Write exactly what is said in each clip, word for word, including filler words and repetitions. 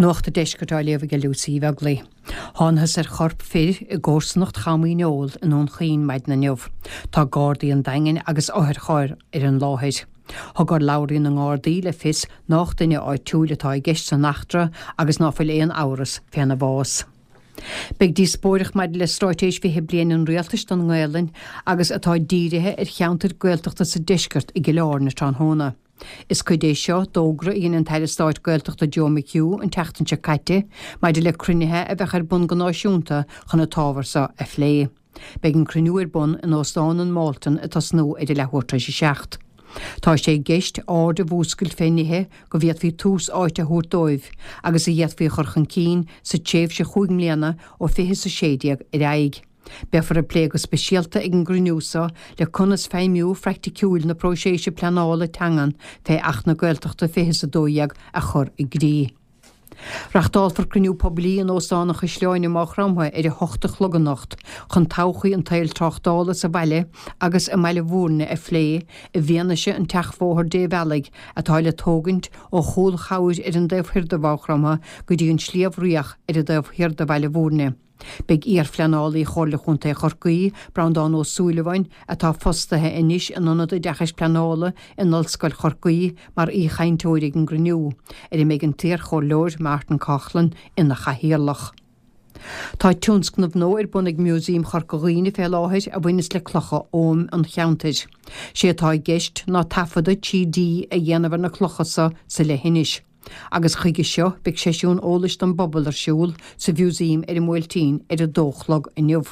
Nuacht an Deiscirt á léamh ag Lucy Bheaglaoich. Thángthas ar chorp fir i gcomharsanacht Cham Uí Neoil i nDún Chaoin maidin inniu. Tá Gardaí an Daingin agus otharcharr ar an láthair. Thug urlabhraí na nGardaí le fios nach duine áitiúil atá i gceist san eachtra agus ná fuil aon amhras féna bhás. Beidh díospóireacht maidir le straitéis fiche bliain an rialtais don nGaelainn agus atá dírithe ar cheantair Gaeltachta sa deisceart i gCill Airne tráthnóna. Is cuid é seo d'fhógra a dhein an tAire Stáit Gaeltachta Joe McHugh an tseachtain seo caite maidir le cruinnithe a bheadh ar bun go náisiúnta chun an t-ábhar seo a phlé. Beidh an cruinniú ar bun in Óstán an Mhalton ag tosnú ar a leathuair tar éis a seacht. Tá sé i gceist aird a mhúscailt fé nithe go bhféadfaí tús áite a thabhairt dóibh agus a d'fhéadfaí a chur chun cinn sa tréimhse chúig mbliana ó fiche is a sé déag ar aghaidh. Beifear ag plé go speisialta ag an gcruinniú seo le conas feidhmiú praiticiúil na próiseas pleanála teangan fé Acht na Gaeltachta fiche is a dó dhéag a chur i gcrích. Reachtálfar cruinniú poiblí in Óstán an Chaisleáin i Maigh Chromtha ar a hocht a chlog anocht chun todhchaí an tsaoil tráchtála sa bhaile agus i mBaile Bhúirne a phlé i bhfianaise an tseachbhóthar débhealaigh atá le tógaint ó Chúil Chabhair ar an dtaobh thoir de Mhaigh Chromtha go dtí an Sliabh Riach ar an dtaobh thiar de Bhaile Bhúirne. Beidh iarphleanálaí Chomhairle Chontae Chorcaí, Breandán Ó Súilleabháin, atá fostaithe anois in Ionad Oideachais Pleanála in Ollscoil Chorcaí mar aoichainteoir ag an gcruinniú, ar a mbeidh an t-iarchomhairleoir Martin Coughlan ina chathaoirleach. Tá tionscnamh nua ar bun ag Músaem Chorca Dhuibhne fé láthair a bhaineas le clocha oghaim an cheantair. Sé atá i gceist ná taifeadadh trí D a dhéanamh ar na clocha seo sa leithinis. Agus chuige seo beidh seisiún eolais don bpobal ar siúl sa mhúsaem ar an mBuailtín ar a dó a chlog inniu.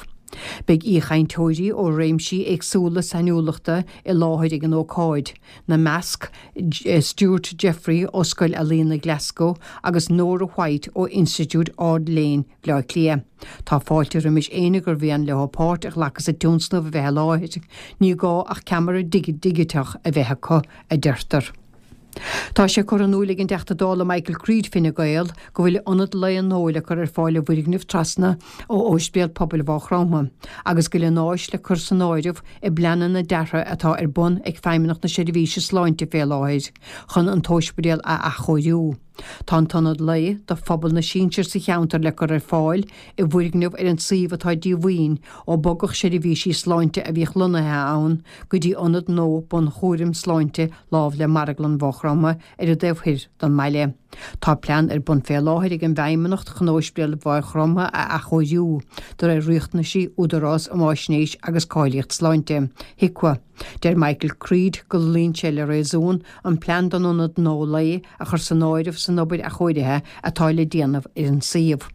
Beidh aoichainteoirí ó réimsí éagsúla sainiúlachta i láthair ag an ócáid, ina measc Stuart Jeffrey ó Scoil Ealaíona Glasgow agus Nora White ó Institiúid Ard-Léinn Bhaile Átha Cliath. Tá fáilte roimis éinne gur mhian leo páirt a ghlacadh sa tionscnamh a bheith i láthair, ní gá ach ceamara digiteach a bheith acu, a deirtear. Tá sé curtha in iúl ag an dTeachta Dála Michael Creed Fine Gael go bhfuil ionad lae nua le cur ar fáil i bhfoirgneamh trasna ó Ospidéal Pobail Mhaigh Chromtha agus go bhfuil an áis le cur san áireamh i bpleananna deartha atá ar bun ag Feidhmeannacht na Seirbhíse Sláinte fé láthair chun an t-ospidéal a athchóiriú. Tá an t-ionad lae do phobal na sinsear sa cheantar le cur ar fáil i bhfoirgneamh ar an suíomh atá díomhaoin ó bogadh seirbhísí sláinte a bhíodh lonnaithe ann go dtí ionad nua bunchúraim sláinte lámh le Marglann Mhaigh Chromtha ar an dtaobh thoir den mbaile. Tá plean ar bun fé láthair ag an bhFeidhmeannacht chun Ospidéal Mhaigh Chromtha a athchóiriú de réir riachtanaisí Údarás um Fháisnéis agus Cáilíocht Sláinte, HIQA. Deir Michael Creed go luíonn sé le réasún an plean don ionad nua lae a chur san áireamh san obair athchóirithe atá le déanamh ar an suíomh.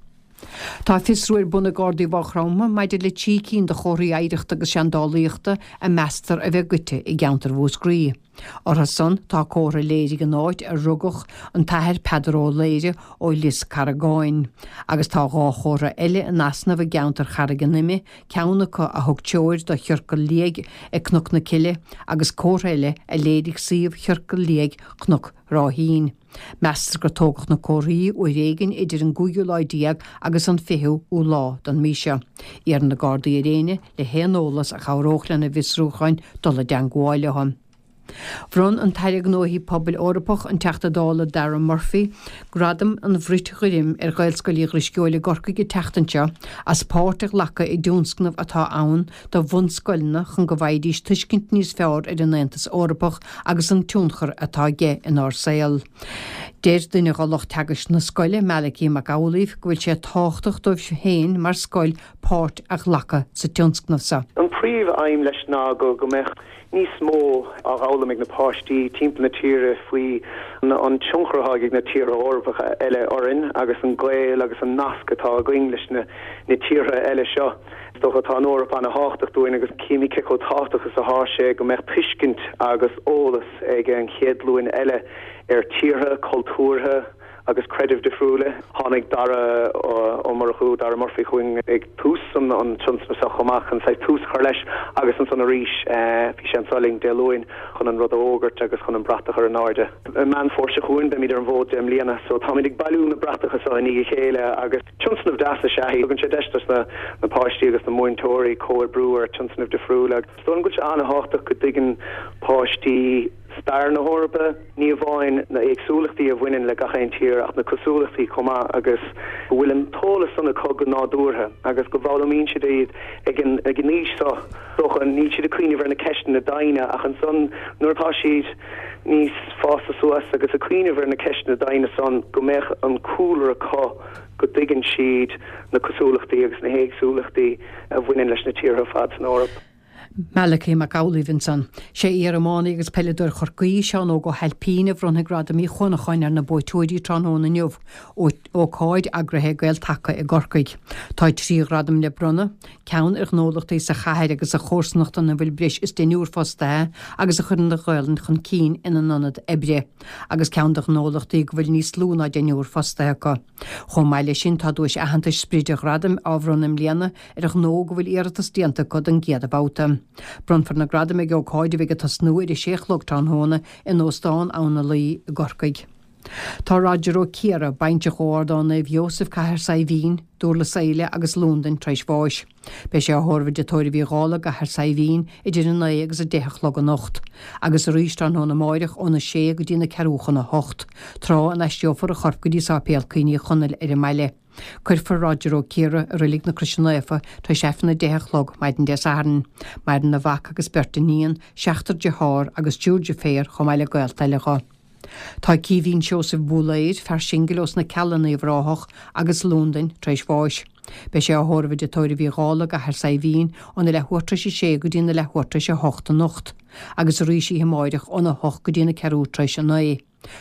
Tá fiosrú ar bun ag Gardaí Mhaigh Chromtha maidir le trí cinn de chomharthaí oidhreachta agus seandálaíochta a meastar a bheith goidte i gceantar Mhúscraí. Orthu san tá comhartha a léirigh an áit ar rugadh an t-athair Peadar Ó Laoire ó Lios Carragáin, agus tá dhá chomhartha eile in easnamh i gceantar Charraig an Ime, ceann acu a thug treoir do chiorcal liag ag Cnoc na Cille agus comhartha eile a léirigh suíomh chiorcal liag Chnoc Ráithín. Meastar gur tógadh na comharthaí uair éigin idir an cúigiú lá déag agus an fichiú lá den mhí seo. Iarrann na Gardaí ar éinne le haon eolas a chabhródh lena bhfiosrúcháin dul i dteagmháil leo. Bhronn an tAire Gnóthaí Pobail Eorpach an Teachta Dála Dara Murphy gradam an Bhrait Ghoirm ar Ghaelscoil Uí Dhrisceoil i gCorcaigh an tseachtain seo as páirt a ghlacadh i dtionscnamh atá ann do bhunscoileanna chun go bhfaighidís tuiscint níos fearr ar an Aontas Eorpach agus an tionchar atá aige inár saol. Deir duine de lucht teagaisc na scoile, Malachy Mac Amhlaoibh, go bhfuil sé tábhachtach dóibh féin mar scoil páirt a ghlacadh sa tionscnamh seo. An príomh-aidhm leis ná go go mbeadh níos mó á fhoghlaim ag na páistí timpeall na tíre faoi an tionchar atá ag na tíortha Eorpacha eile orainn agus an gaol agus an nasc atá againn leis na na tíortha eile seo. Is dócha tá an Eoraip an-tábhachtach dúinn agus címid cé chomh tábhachtach is atá sé go mbeadh tuiscint agus eolas ag an chéad ghlúin eile ar tíortha, cultúrtha agus creidimh difriúla. Tháinig Dara Ó Murchú, Dara Murphy chugainn ag tús an tionscnaimh seo chomh maith chun saghas tús a chur leis agus ansan arís bhí sé anseo linn Dé Luain chun an rud a fhógairt agus chun an brat a chur in airde. I Meán Fómhair seo chugainn beimid ar an bhfód deich mbliana so táimid ag bailiú na bratacha seo i ndiaidh a chéile agus tionscnamh deas is ea é. Tugann sé deis dos na na páistí agus na múinteoirí comhoibriú ar tionscnaimh difriúla. Is dóigh liom go bhfuil sé an-tábhachtach go dtuigeann páistí stair na hEorpa, ní amháin na héagsúlachtaí a bhaineann le gach aon tír ach na cosúlachtaí chomh maith agus go bhfuil an t-eolas san acu go nádúrtha agus go bhfoghlaimíonn siad iad ag an ag an aois seo dócha níl siad ag cuimhneamh ar na ceisteanna doimhne ach ansan nuair atá siad níos fásta suas agus ag cuimhneamh ar na ceisteanna doimhne san go mbeadh an cúlra acu go dtuigeann siad na cosúlachtaí agus na héagsúlachtaí a bhaineann leis na tíortha ar fad san Eoraip. Malachy Mac Amhlaoibh ansan. Sé iar-iománaí agus peileadóir Chorcaí, Seán Óg Ó hAilpín a bhronnfaidh Gradam Uí Chuanacháin ar na buaiteoirí tráthnóna inniu, ócáid eagraithe ag Gael-Taca i gCorcaigh. Tá trí ghradam le bronnadh, ceann ar ghnólachtaí sa chathair agus sa chomharsanacht ina bhfuil breis is deichniúr fostaithe agus a chuireann an Ghaelainn chun cinn ina n-ionad oibre, agus ceann do ghnólachtaí go bhfuil níos lú ná deichniúr fostaithe acu. Chomh maith leis sin tá duais aitheantais sprid an ghradaim á bhronnadh i mbliana ar ghnó go bhfuil iarratas déanta acu don gcéad bhabhta. Bronnfar na gradaim ag ócáid a bheidh ag tosnú ar a sé a chlog tráthnóna in Óstán Abhainn na Laoi i gCorcaigh. Tá Roger Ó Ciardha, baintreach ó Ardán Naomh Iósaf, Cathair Saidhbhín, Dúrlas Éile agus Londain tar éis bháis. Beidh sé á thórramh i dTigh Tórraimh Uí Dhálaigh i gCathair Saidhbhín idir a naoi agus a deich a chlog anocht, agus arís tráthnóna amáireach óna sé go dtí na ceathrú chun a hocht, tráth a n-aistreofar a chorp go dtí Sáipéal Cuimhní Chonaill ar an mbaile. Cuirfear Roger Ó Ciardha i Reilig na Croise Naofa tar éis Aifreann a deich a chlog maidin Dé Sathairn. Maireann a mhac agus beirt iníon, seachtar dearthár agus triúr deirféar chomh maith le gaolta eile dho. Tá Caoimhín Seosamh Búlaeir, fear singil ós na Cealla in Uíbh Ráthach agus Londain, tar éis bháis. Beidh sé á thórramh i dTigh Tórraimh Uí Dhálaigh i gCathair Saidhbhín óna leathuair tar éis a sé go dtí na leathuair tar éis a hocht anocht, agus arís oíche amáireach óna hocht go dtí na ceathrú tar éis a naoi.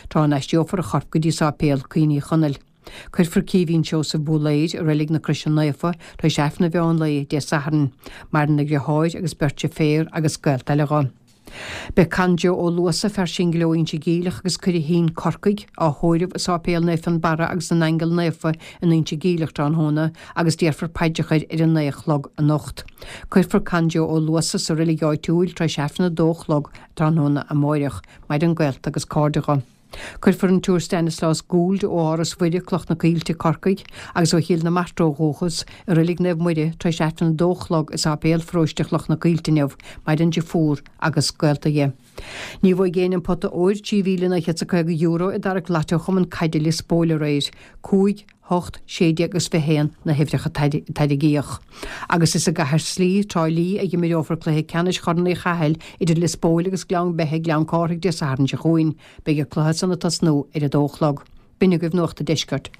Tráth a n-aistreofar a chorp go dtí Sáipéal Cuimhní Chonaill. Cuirfear Caoimhín Seosamh Búlaeir i Reilig na Croise Naofa tar éis Aifreann an mheán lae Dé Sathairn. Maireann a dheartháir agus beirt deirféar agus gaolta eile dho. Beidh Con Joe Ó Luasa, fear singil ó Inse Geimhleach agus Coire Thín, Corcaigh, á thórramh i Sáipéal Naomh Fionnbarra agus na nAingeal Naofa in Inse Geimhleach tráthnóna agus déarfar paidreacha air ar a naoi a chlog anocht. Cuirfear Con Joe Ó Luasa sa reilig áitiúil tar éis Aifreann a dó a chlog tráthnóna amáireach. Maireann gaolta agus cairde dho. Cuirfear an tSiúr Stanislaus Gould ó Áras Mhuire, Cloch na Coillte, Corcaigh, agus ó Chill na Martra ó dhúchas, i Reilig Naomh Muire tar éis Aifreann a dó a chlog i Sáipéal Pharóiste Chloch na Coillte inniu, maireann deirfiúr agus gaolta dhi. Ní bhuaigh éinne an pota óir trí mhíle naoi chéad is caoga euro i dtarrac Lotto Chumann Caide Lios Póil aréir. Cúig, hocht, sé déag agus fiche haon na huimhreacha a tarraingíodh. Agus is i gCathair Slí, Trá Lí, a imreofar cluiche ceannais Chorn Uí Chathail idir Lios Póil agus Gleann Beithe, Gleann Cárthaigh Dé Sathairn seo chugainn. Beidh an cluiche san ag tosnú ar a dó a chlog. B'in agaibh Nuacht an Deiscirt.